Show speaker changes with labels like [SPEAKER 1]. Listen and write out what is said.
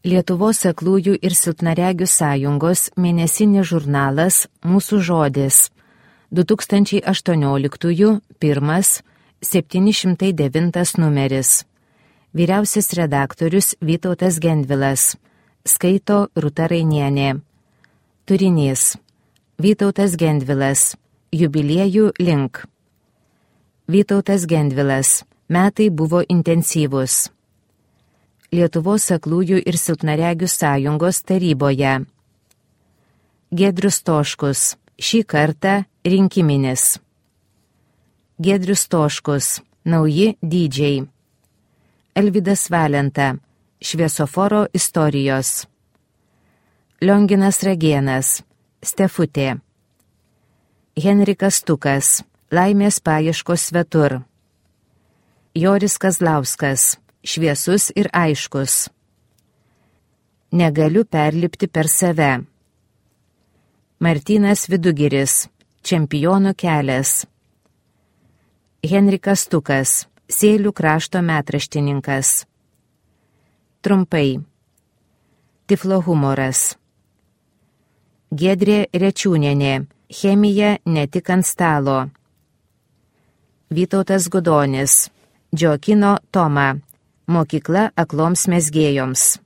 [SPEAKER 1] Lietuvos aklųjų ir silpnaregių sąjungos mėnesinis žurnalas Mūsų žodis 2018 1 709 numeris. Vyriausias redaktorius Vytautas Gendvilas. Skaito Rūta Rainienė. Turinys. Vytautas Gendvilas. Jubiliejų link. Vytautas Gendvilas. Metai buvo intensyvūs. Lietuvos aklųjų ir silpnaregių sąjungos taryboje. Giedrius Stoškus. Šį kartą rinkiminis. Giedrius Stoškus. Nauji dydžiai. Alvydas Valenta. Šviesoforo istorijos. Lionginas Ragėnas. Stefutė. Henrikas Tukas. Laimės paieškos svetur. Joris Kazlauskas. Šviesus ir aiškus. Negaliu perlipti per save. Martynas Vidugiris. Čempionų kelias. Henrikas Tukas. Sėlių krašto metraštininkas. Trumpai. Tiflo humoras. Giedrė Rečiūnienė. Chemija ne tik ant stalo. Vytautas Gudonis. Džiokino Toma. Mokykla akloms mezgėjoms.